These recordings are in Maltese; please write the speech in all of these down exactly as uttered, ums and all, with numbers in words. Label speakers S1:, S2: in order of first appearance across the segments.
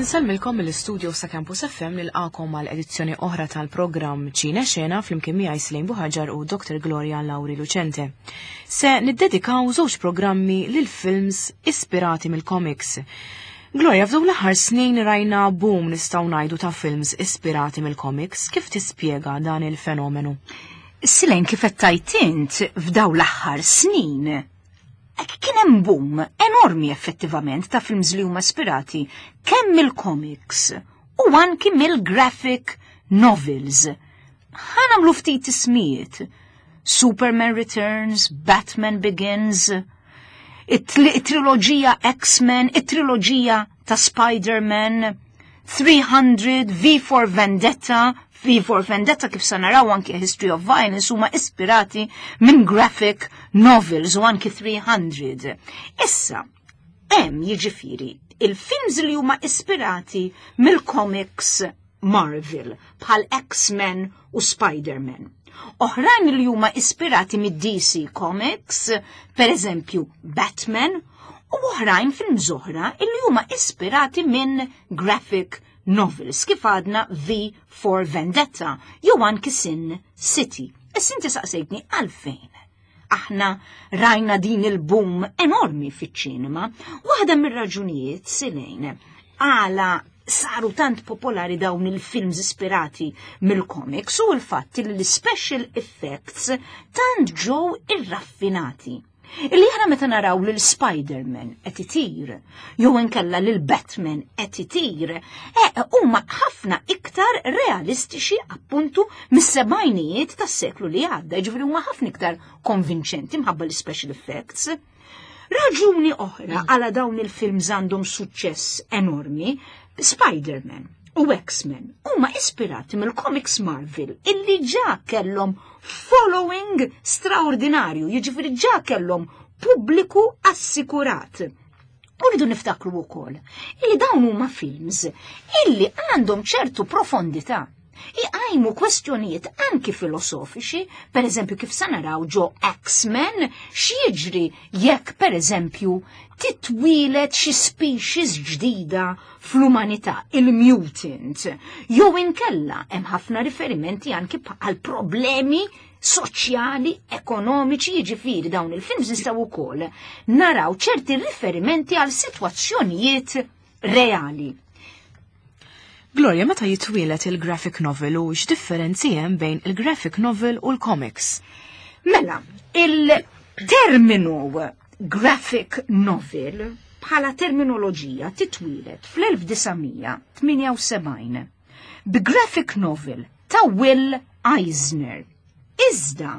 S1: Insellmilkom mill-istudio sa' Campus F M, nilqakom għal edizzjoni oħra tal-programm Ċine Xena flimkien miegħi Slejn Buħaġar u Doktor Gloria Lauri Lucente. Se niddedikaw żewġ programmi lil films ispirati mill-comics. Gloria, f'dawn l-aħħar snin rajna boom, nistgħu ngħidu, ta' films ispirati mill-comics. Kif tispjega dan il-fenomenu?
S2: Silejn, kif qed int, f'dawn l-aħħar snin kien hemm boom enormi effettivament ta' films li huma ispirati kemm mill-comics u anki mill-graphic novels. Ħa nagħmlu ftit ismijiet. Superman Returns, Batman Begins, it-triloġija X-Men, it-triloġija ta' Spider-Man, three hundred, V for Vendetta. V for Vendetta, kif sa naraw anki History of Violence, huma ispirati minn graphic novels u anki three hundred. Issa, hemm jiġifieri il-films li huma ispirati mill-comics Marvel bħal X-Men u Spider-Man. Oħrajn li huma ispirati mid-D C Comics, per eżempju Batman, u oħrajn films oħra li huma ispirati minn graphic novels, kif għadna V for Vendetta jew anki Sin City. Issa inti saqsejtni għalfejn aħna rajna din il-boom enormi fiċ-ċinema. Waħda mir-raġunijiet, Silejn, għala saru tant popolari dawn il-films ispirati mill-comics u l-fatt li l-special effects tant ġew irraffinati. Illi aħna meta naraw lil Spider-Man qed itir, jew inkella lil Batman qed itir, eh, huma ħafna iktar realistiċi appuntu mis-sebgħinijiet tas-seklu li għadda, jiġifieri huma ħafna iktar konvinċenti mħabba l-special effects. Raġuni oħra għala dawn il-films għandhom suċċess enormi, Spider-Man u X-Men huma ispirati mill-comics Marvel illi ġa kellhom following straordinarju, jiġifieri ġa kellhom pubbliku assikurat. U rridu niftakru wkoll illi dawn huma films illi għandhom ċertu profondità. Iqajmu kwestjonijiet anki filosofiċi, per eżempju kif sa naraw ġo X-Men, x'jiġri jekk per eżempju titwieled xi species ġdida fl-umanità, il-mutant. Jew inkella hemm ħafna riferimenti anki għal problemi soċjali, ekonomiċi, jiġifieri dawn il-films nistgħu wkoll naraw ċerti riferimenti għal sitwazzjonijiet reali.
S1: Gloria, meta jitwielet il-graphic novel u x'differenzi hemm bejn il-graphic novel u l-comics?
S2: Mela, il-terminu graphic novel bħala terminoloġija titwielet fl-elf disa' mija tmienja u sebgħin bi graphic novel ta' Will Eisner. Iżda,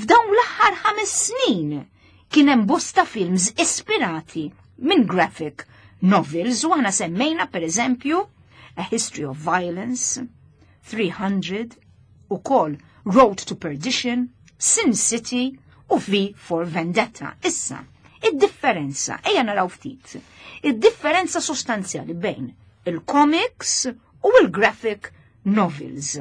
S2: f'dawn l-aħħar ħames snin kien hemm bosta films ispirati minn graphic novels u aħna semmejna per eżempju A History of Violence, three hundred, u kol Road to Perdition, Sin City u V for Vendetta. Issa, id-differenza, ejja naraw ftit, id-differenza sostanzjali bejn il-comics u il-graphic novels.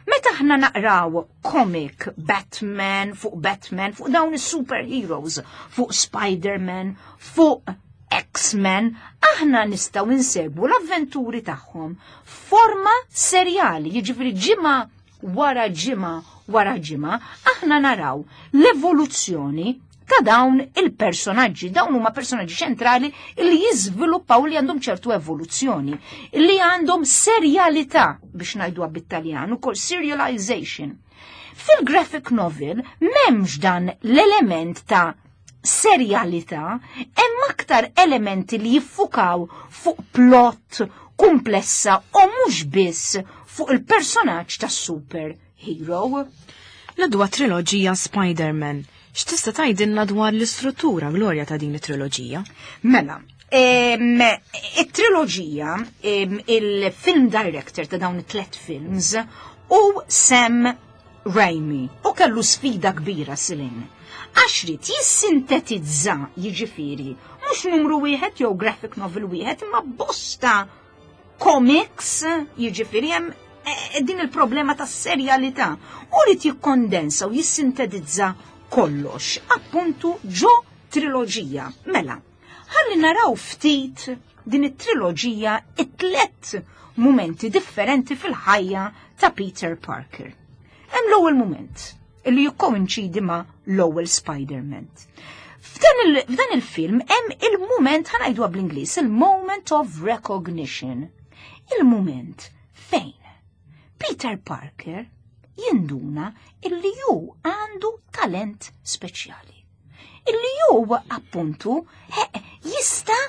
S2: Meta aħna naqraw comic Batman, fuq Batman, fuq dawn is-superheroes, fuq Spider-Man, fuq X-Men, aħna nistgħu insegwu l-avventuri tagħhom forma serjali, jiġifieri ġimgħa wara ġimgħa wara ġimgħa, aħna naraw l-evoluzzjoni ta' dawn il-personaġġi. Dawn huma personaġġi ċentrali li jiżviluppaw, li għandhom ċertu evoluzzjoni, li għandhom serjalità, biex ngħiduha bit-Taljan, ukoll serialization. Fil-graphic novel m'hemmx dan l-element ta' serjalità, hemm aktar elementi li jiffukaw fuq plot komplessa u mhux biss fuq il-personaġġ tas super hero.
S1: L-dwa triloġija Spider-Man. X'tista' tgħidilna dwar l-istruttura, Gloria, ta' din it-triloġija?
S2: Mela, it-triloġija, il-film director ta' dawn it-tlet films hu Sam Raimi u kellu sfida kbira, Silin. Għax ried jissintetizza, jiġifieri, mhux numru wieħed jew graphic novel wieħed, imma bosta comics, jiġifieri hemm eh, din il-problema ta' serjalità. U ried jikkondensa u jissintetizza kollox, appuntu ġo triloġija. Mela, ħalli naraw ftit din it-triloġija, it-tlet momenti differenti fil-ħajja ta' Peter Parker. Hemm l-ewwel moment illi jikkoinċidi ma' l-ewwel Spider-Man. F'dan il-film hemm il-moment, ħa ngħidu bl-Ingliż, il-moment of recognition. Il-moment fejn Peter Parker jinduna illi ju għandu talent speċjali. Illi ju appuntu jista'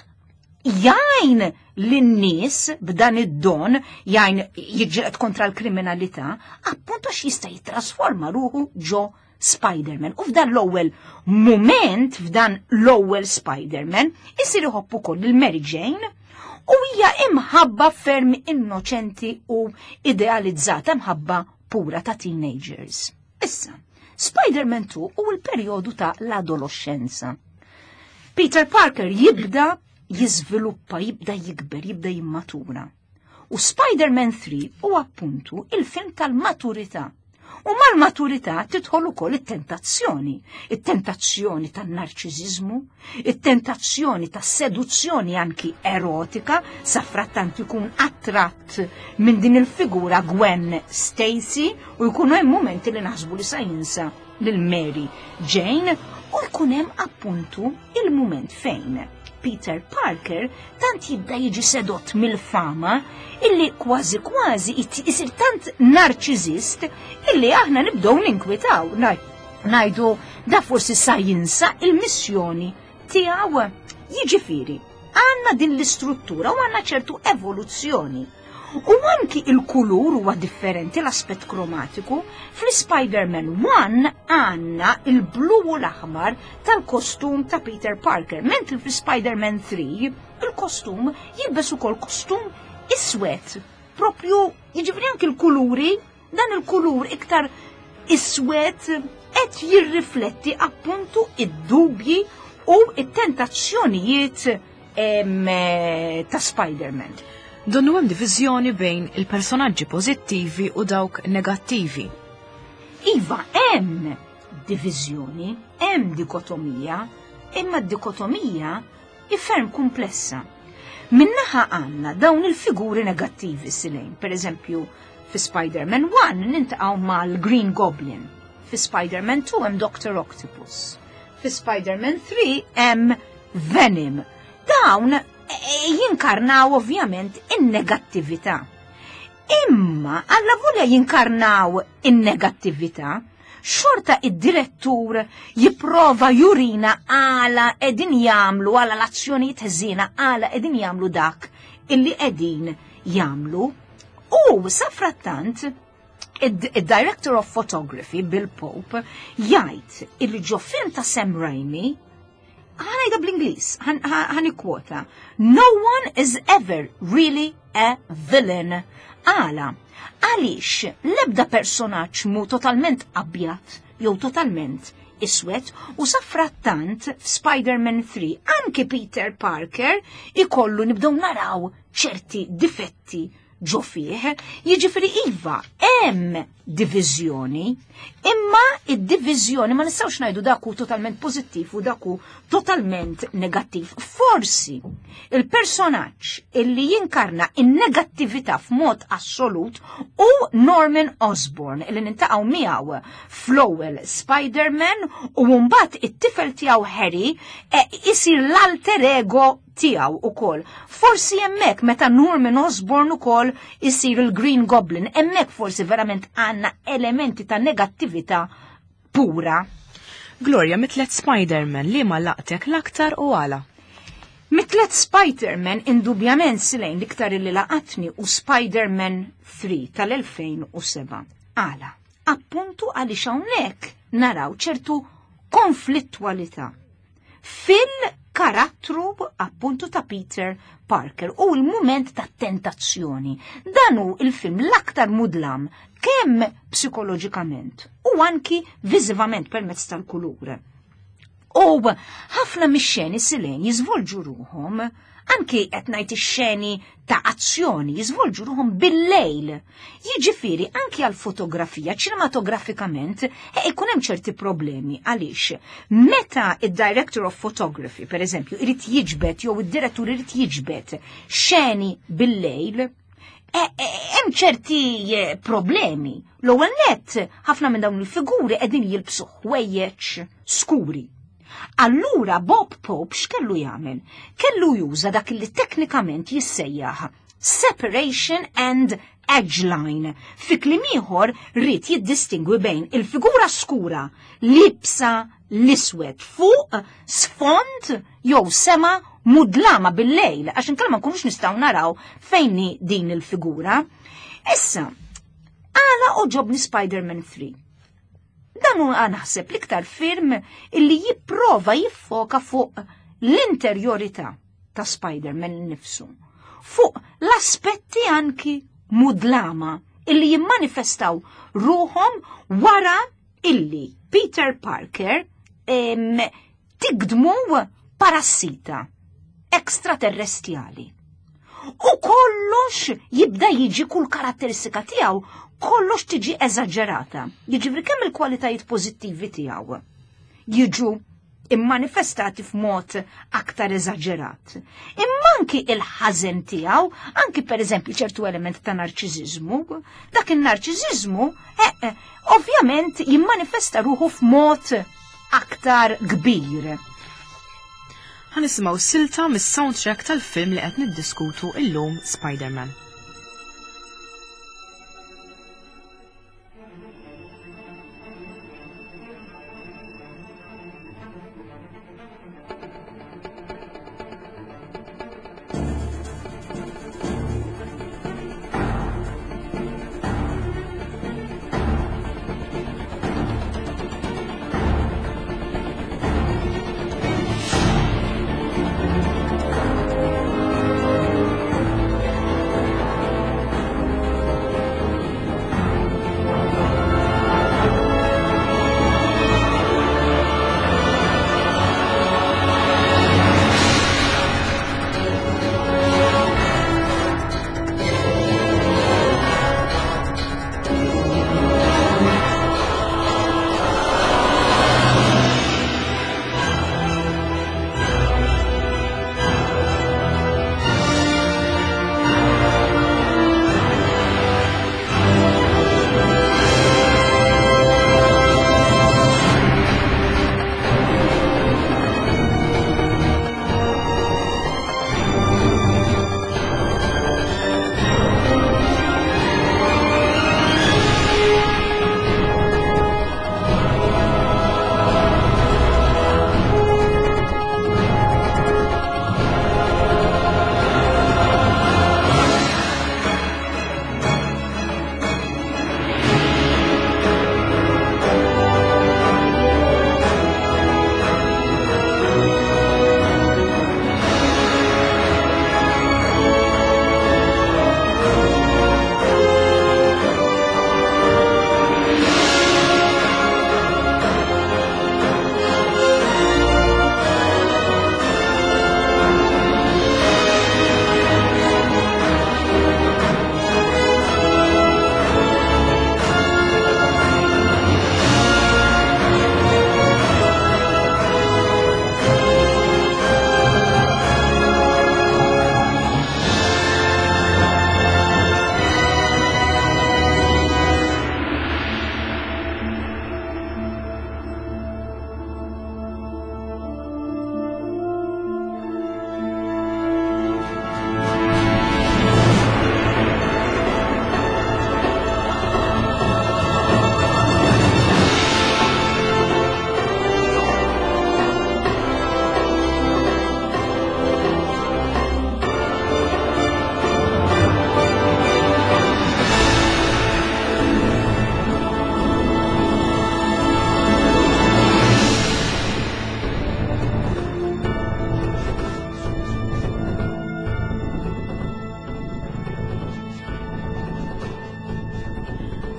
S2: jgħin lin-nies b'dan id-don, jgħin jiġġieled kontra l-kriminalità, appuntu għax jista' jitrasforma ruħu ġo Spider-Man. U f'dan l-ewwel moment, f'dan l-ewwel Spider-Man, isir iħobb ukoll il-Mary Jane u hija imħabba ferm innoċenti u idealizzata, mħabba pura ta' teenagers. Issa, Spider-Man two u l-perjodu ta' l-adolescenza. Peter Parker jibda jiżviluppa, jibda jikber, jibda jimmatura. U Spider-Man three u appuntu il-film tal-maturità. U mal-maturità tidħol ukoll it-tentazzjoni, it-tentazzjoni tan-narċiżiżmu, it-tentazzjoni tas-seduzzjoni anki erotika, sa frattant ikun attratt minn din il-figura Gwen Stacy u jkunu hemm momenti li naħsbu li sa jinsa lil Mary Jane, u jkun hemm appuntu il-moment fejn Peter Parker tant jibda jiġi sedott mill-fama illi kważi kważi isir tant narċiżist illi aħna nibdew ninkwitaw, ngħidu da forsi sa jinsa il-missjoni tiegħu. Jiġifieri, għandna din l-istruttura u għandna ċertu evoluzzjoni. U anki il-kulur huwa differenti, l-aspett kromatiku. Fl-Spider-Man one għandna il-blu u l-aħmar tal-kostum ta' Peter Parker, mentri fl-Spider-Man three il-kostum jilbes ukoll kostum iswed. Propju, jiġifieri anki l-kuluri, dan il-kulur iktar iswed qed jirrifletti appuntu id-dubji u it-tentazzjonijiet ta' Spider-Man.
S1: Donnu hemm diviżjoni bejn il-personaġġi pożittivi u dawk negattivi.
S2: Iva, hemm diviżjoni, hemm dikotomija, imma d-dikotomija hi ferm komplessa. Minnaħa għandna dawn il-figuri negattivi silejn, per eżempju, fi Spider-Man one nintaqgħu mal-Green Goblin, fi Spider-Man two hemm Doctor Octopus, fi Spider-Man three hemm Venom. Dawn jinkarnaw ovvjament in-negattività. Imma alla volja jinkarnaw in-negattività, xorta id-direttur jipprova jurina għala edin jamlu, għala l-azzjonijiet ħżiena, għala edin jamlu dak illi edin jamlu. U safrattant id-director of photography Bill Pope jgħid illi ġo film ta' Sam Raimi, ħa ngħidha bl-Ingliż, ħa nikkwota, "No one is ever really a villain." Għala, għaliex l-ebda personaġġ mu totalment abjad jew totalment iswed, u safrattant f'Spider-Man three anki Peter Parker ikollu nibdew naraw ċerti difetti ġo fih. Jiġifieri iva, hemm diviżjoni, imma id-diviżjoni ma nistgħux ngħidu dak hu totalment pożittiv u dak hu totalment negattiv. Forsi il-personaġġ illi jinkarna in-negattività f'mod assolut hu Norman Osborn illi nintaqgħu miegħu fl-ewwel Spider-Man, u mbagħad it-tifel tiegħu Harry isir l-alter ego tiegħu ukoll. Forsi hemmhekk meta Norman Osborn ukoll isir il-Green Goblin, hemmhekk forsi verament għandna elementi ta' negattività pura.
S1: Gloria, mit-tlet Spider-Man li ma laqtek l-aktar u għala?
S2: Mit-tlet Spider-Man indubjament silejn l-iktar li laqatni u Spider-Man three tal-elfejn u seba'. Għala, appuntu għaliex hawnhekk naraw ċertu konflittwalità fil-karattru appuntu ta' Peter Parker u l-moment ta' tentazzjoni. Dan hu il-film l-aktar mudlam kemm psikoloġikament u anki viżivament permezz tal-kulur. U ħafna mix-xeni sileni jiżvolġu ruhom, anki qed ngħid ix-xeni ta' azzjoni jiżvolġu ruhom bil-lejl. Jiġifieri anki għal fotografija ċinematografikament e ikun hemm ċerti problemi għaliex meta id-director of photography, per eżempju, irid jiġbed jew id-direttur irid jiġbed xeni bil-lejl, hemm ċerti problemi. L-ewwel nett ħafna minn dawn il-figuri qegħdin jilbsu ħwejjeġ skuri. Allura Bob Pope x'kellu jagħmel? Kellu juża dak li teknikament jissejjaħ separation and edge line. Fi kliem ieħor ried jiddistingwi bejn il-figura skura libsa l-iswed fuq sfond jew sema mudlama bil-lejl, għax inkella ma nkunux nistgħu naraw fejn hi din il-figura. Issa, għala għoġobni Spider-Man three. Dan huwa naħseb l-iktar film illi jipprova jiffoka fuq l-interjorità ta' Spider-Man nifsu, fuq l-aspetti anki mudlama illi jimmanifestaw ruhom wara illi Peter Parker em, tigdmu parassita ekstraterrestjali. U kollox jibda jiġi kull karatteristika tiegħu, kollox tiġi eżaġerata. Jiġifieri kemm il-kwalitajiet pożittivi tiegħu jiġu immanifestati f'mod aktar eżaġerat. Imma anki il-ħażen tiegħu, anki pereżempju ċertu element ta' narċiżiżmu, dak in-narċiżiżmu eh, eh, ovvjament jimmanifesta ruħu f'mod aktar kbir.
S1: Ħa nisimgħu silta mis-soundtrack tal-film li qed niddiskutu illum, Spider-Man.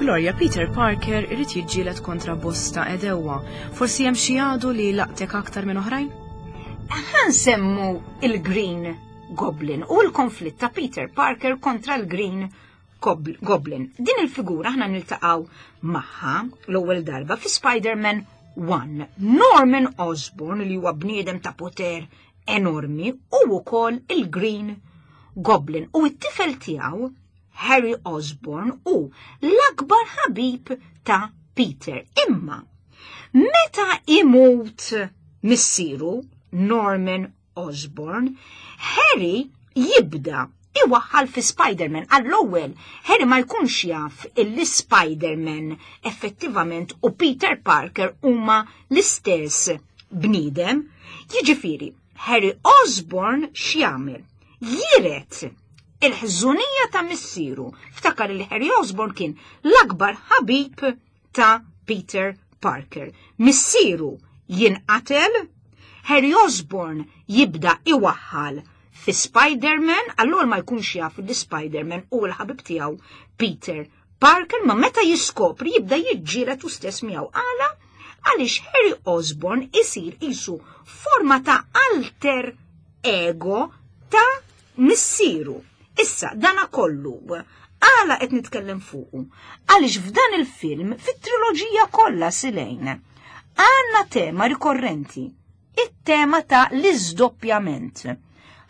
S1: Gloria, Peter Parker irid jiġġieled kontra bosta għedewwa. Forsi hemm xi għadu li laqtek aktar minn oħrajn?
S2: Ħa nsemmu il-Green Goblin u l-konflitt ta' Peter Parker kontra l-Green Goblin. Din il-figura aħna niltaqgħu magħha l-ewwel darba fi Spider-Man one. Norman Osborn, li huwa bniedem ta' poter enormi, u wkoll il-Green Goblin, u t-tifel tiegħu Harry Osborn u l-akbar ħabib ta' Peter. Imma meta imut missieru Norman Osborn, Harry jibda iwaħħal fi Spider-Man. Għall-ewwel Harry ma jkunx jaf illi Spider-Man effettivament u Peter Parker huma l-istess bniedem. Jiġifieri, Harry Osborn x'jagħmel? Jiret il-ħżunija ta' missieru. Ftakar li Harry Osborn kien l-akbar ħabib ta' Peter Parker. Missieru jinqatel, Harry Osborn jibda iwaħħal fi Spider-Man, allura ma jkunx jaf li Spider-Man u l-ħabib tiegħu Peter Parker, ma meta jiskopri jibda jiġġieled u stess miegħu. Għala? Għaliex Harry Osborn isir isu forma ta' alter ego ta' missieru. Issa, dana kollu, għala qed nitkellem fuqu? Għaliex f'dan il-film, fit-triloġija kollha silejn, għandna tema rikorrenti, it-tema ta' l-iżdoppjament.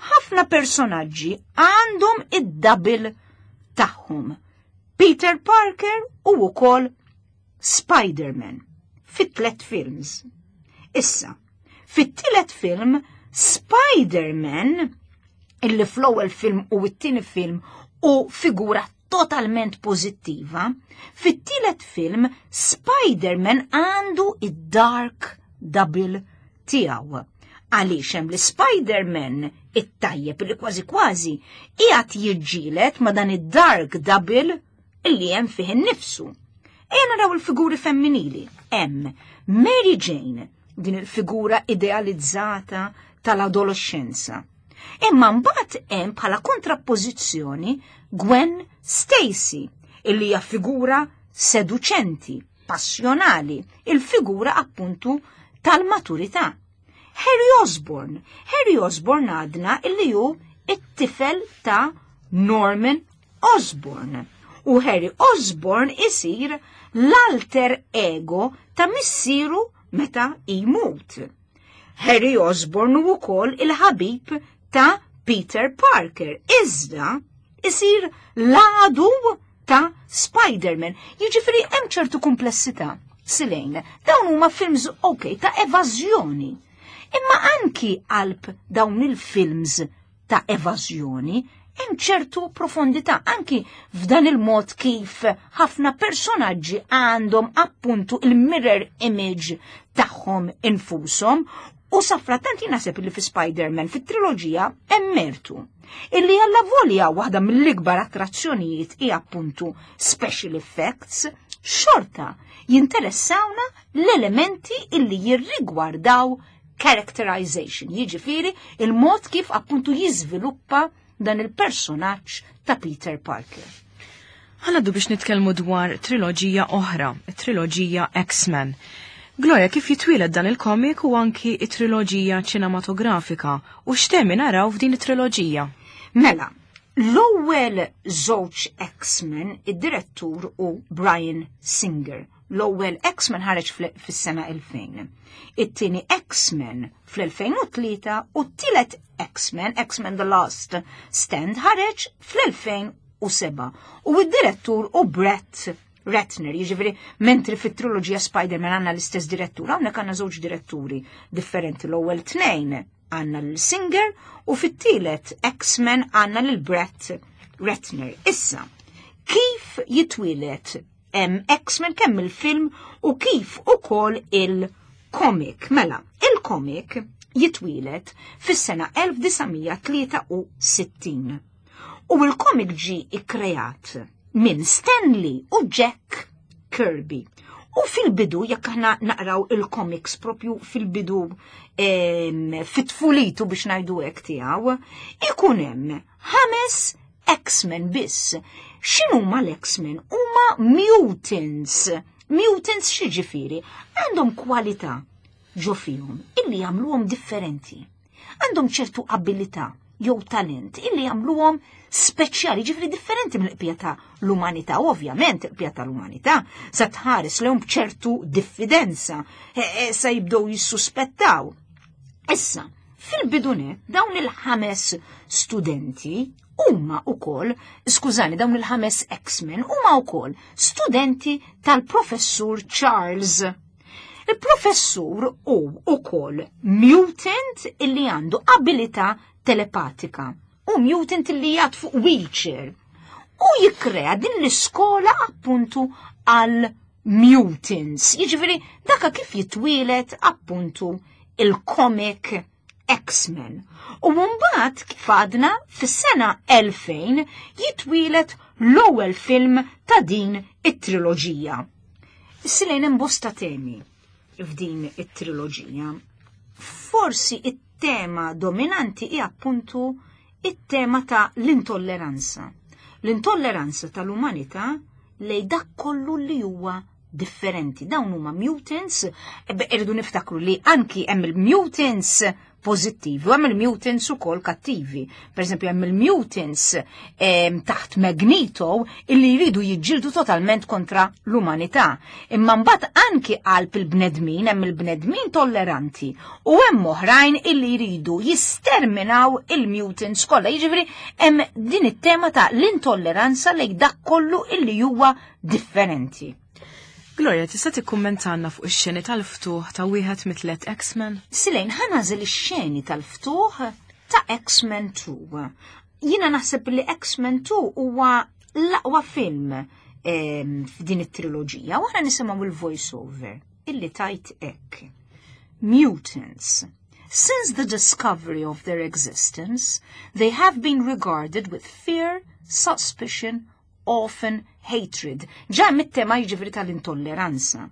S2: Ħafna personaġġi għandhom id-double tagħhom. Peter Parker u wkoll Spider-Man fit-tlet films. Issa, fit-tielet film Spider-Man, illi fl-ewwel film u t-tieni film u figura totalment pożittiva, fit-tielet film Spider-Man għandu id-dark double tiegħu. Għaliex hemm li Spider-Man it-tajjeb li kważi kważi qiegħed jiġġieled ma' dan id-dark double illi hemm fih innifsu. Ejja naraw il-figuri femminili. Hemm Mary Jane, din il-figura idealizzata tal-adolescenza. Imma mbagħad hemm bħala kontrappożizzjoni Gwen Stacy, illi hija figura seduċenti, passjonali, il-figura appuntu tal-maturità. Harry Osborn. Harry Osborn għadna illi hu it-tifel ta' Norman Osborn. U Harry Osborn isir l-alter ego ta' missieru meta jmut. Harry Osborn u wkoll il-ħabib ta' Peter Parker. Iżda isir l-għadu ta' Spider-Man. Jiġifieri hemm ċertu komplessità. Silejn, dawn huma films ok ta' evażjoni. Imma anki qalb dawn il-films ta' evażjoni hemm ċertu profondità, anki f'dan il-mod kif ħafna personaġġi għandhom appuntu il-mirror image tagħhom infushom. U safrattant naħseb li fi Spider-Man fit-triloġija hemm mertu. Illi għalla volja waħda mill-ikbar attrazzjonijiet hi appuntu special effects, xorta jinteressawna l-elementi illi jirrigwardaw characterization, jiġifieri il-mod kif appuntu jiżviluppa dan il-personaġġ ta' Peter Parker.
S1: Ħa ngħaddu biex nitkellmu dwar triloġija oħra, triloġija X-Men. Gloria, kif jitwieled dan il-komik u anki it-triloġija ċinematografika u x'temi naraw f'din it-triloġija?
S2: Mela, l-ewwel żewġ X-Men id-direttur u Bryan Singer. L-ewwel X-Men ħareġ fis-sena elfejn. It-tieni X-Men fl-elfejn u tlieta u t-tielet X-Men, X-Men The Last Stand, ħareġ fl-elfejn u seba'. U id-direttur u Brett Ratner, jiġifieri mentri fit-triloġija Spider-Man għandna l-istess direttur, hawnhekk għandna żewġ diretturi differenti. L-ewwel tnejn għandna l-Singer u fit-tielet X-Men għandna lil Brett Ratner. Issa, kif jitwieled hemm X-Men kemm il-film u kif ukoll il-komik? Mela, il-komik jitwieled fis-sena elf disa' mija tlieta u sittin. U il-komik ġi ikkreat minn Stan Lee u Jack Kirby. U fil-bidu, jekk aħna naqraw il-comics propju fil-bidu, em, fit-tfulitu biex ngħidu hekk tiegħu, ikun hemm ħames X-Men biss. X'inhuma l-X-Men? Huma huma mutants. Mutants x'jiġifieri? Għandhom kwalità ġo fihom illi jagħmluhom differenti. Għandhom ċertu abilità jew talent illi jagħmluhom speċjali, ġifieri differenti mill-qbija ta' l-umanità. Ovvjament il-qbija ta' l-umanità sa tħares lehom b'ċertu diffidenza, e, e, sa jibdew jissuspettaw. Issa, fil-bidunet dawn il-ħames studenti huma ukoll, skużani, dawn il-ħames X-Men huma wkoll studenti tal-professur Charles. Il-professur hu ukoll mutant illi għandu abilità telepatika u mutant illi jgħad fuq wheelchair u jikkrea din l-iskola appuntu għal mutants. Jiġifieri daka kif jitwielet appuntu il-comic X-Men. U mbagħad kif għadna fis-sena elfejn jitwielet l-ewwel film ta' din it-triloġija. Silejn hemm bosta temi f'din it-triloġija. Forsi it-tema dominanti hija appuntu it-tema ta' l-intolleranza. L-intolleranza tal-umanità lej dak kollu li huwa differenti. Dawn huma mutants, irridu niftakru li anki hemm il-mutants pożittivi u hemm il-mutants ukoll kattivi. Per eżempju hemm il-mutants eh, taħt Magneto illi jridu jiġġieldu totalment kontra l-umanità. Imma mbagħad anki qalb il-bnedmin hemm il-bnedmin tolleranti u hemm oħrajn illi jridu jisterminaw il-mutants kollha. Jiġifieri hemm din it-tema ta' l-intolleranza lejn dak kollu illi huwa differenti.
S1: Gloria, tista' tikkummentanna fuq ix-xeni tal-ftuħ ta' wieħed mit-tliet X-Men?
S2: Silejn, ħa nagħżel ix-xeni tal-ftuħ ta' X-Men two. Jiena naħseb li X-Men two huwa l-aqwa film f'din it-triloġija u aħna nisimgħu il-voice-over illi tajt hekk. Mutants. Since the discovery of their existence, they have been regarded with fear, suspicion, often hatred. Ġa mit-tema jiġifieri tal-intolleranza.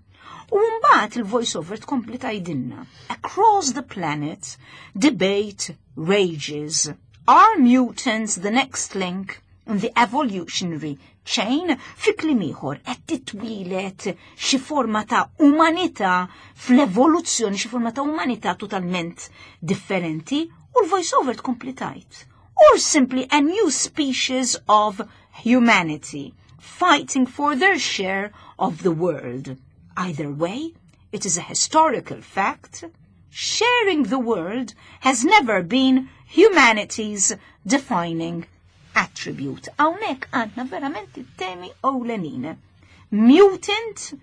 S2: U mbagħad il-voice-over tkompli tgħidilna. Across the planet, debate rages. Are mutants the next link in the evolutionary chain? Fi kliem ieħor qed titwielet xi forma ta' umanità fl-evoluzzjoni, xi forma ta' umanità totalment differenti, u l-voice-over tkompli tgħid. Or simply a new species of humanity, fighting for their share of the world. Either way, it is a historical fact. Sharing the world has never been humanity's defining attribute. Hawnhekk għandna verament it-temi ewlenin. Mutant,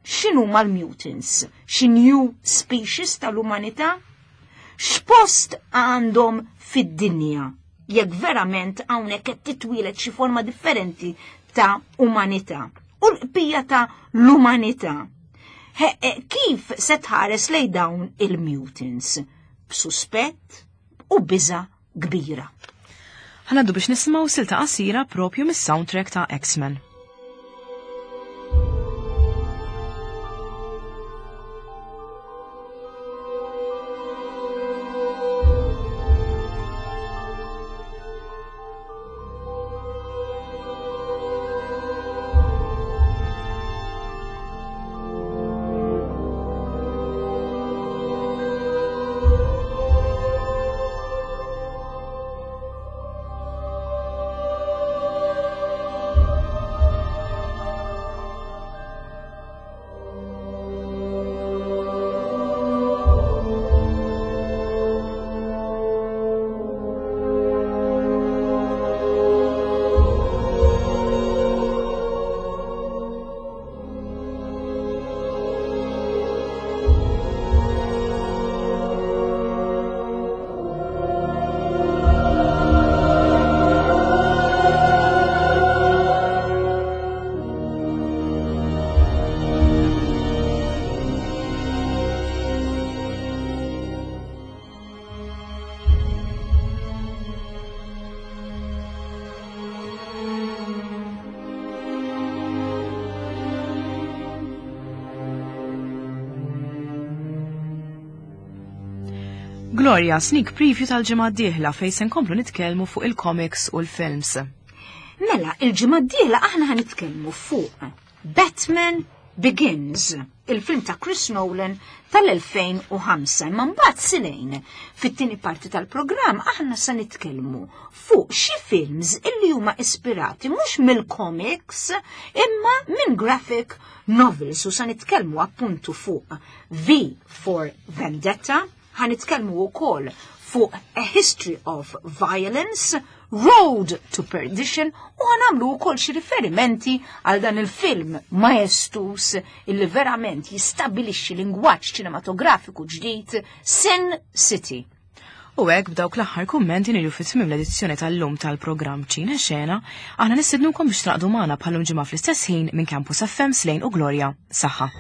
S2: x'inhu mal-mutants? Xi new species tal-umanità? X'post għandhom fid-dinja? Jekk verament hawnhekk qed titwielet xi forma differenti ta' umanità. U l-qbija ta' l-umanità. Kif se tħares lejn dawn il-mutants? B'suspett u biża' kbira.
S1: Ħa ngħaddu biex nisimgħu silta qasira propju mis-soundtrack ta' X-Men. Gloria, sneak preview tal-ġimgħa d-dieħla fejn se nkomplu nitkellmu fuq il-comics u l-films.
S2: Mela, il-ġimgħa d-dieħla aħna ħa nitkellmu fuq Batman Begins, il-film ta' Chris Nolan tal-elfejn u ħamsa. Imma mbagħad, Silejn, fit-tieni parti tal-programm aħna se nitkellmu fuq xi films illi huma ispirati mhux mill-comics imma minn graphic novels u se nitkellmu appuntu fuq V for Vendetta, ħa nitkellmu wkoll fuq A History of Violence, Road to Perdition u ħa nagħmlu wkoll xi riferimenti għal dan il-film majestuż illi verament jistabilixxi lingwaġġ ċinematografiku ġdid, Sin City.
S1: U hekk, b'dawk l-aħħar kummenti, niġu fi tmiem l-edizzjoni tal-lum tal-programm Ċine Xena. Aħna nistednukom biex tingħaqdu magħna bħal-lum ġimgħa fl-istess ħin minn Campus F M. Slejn u Gloria. Saħħa.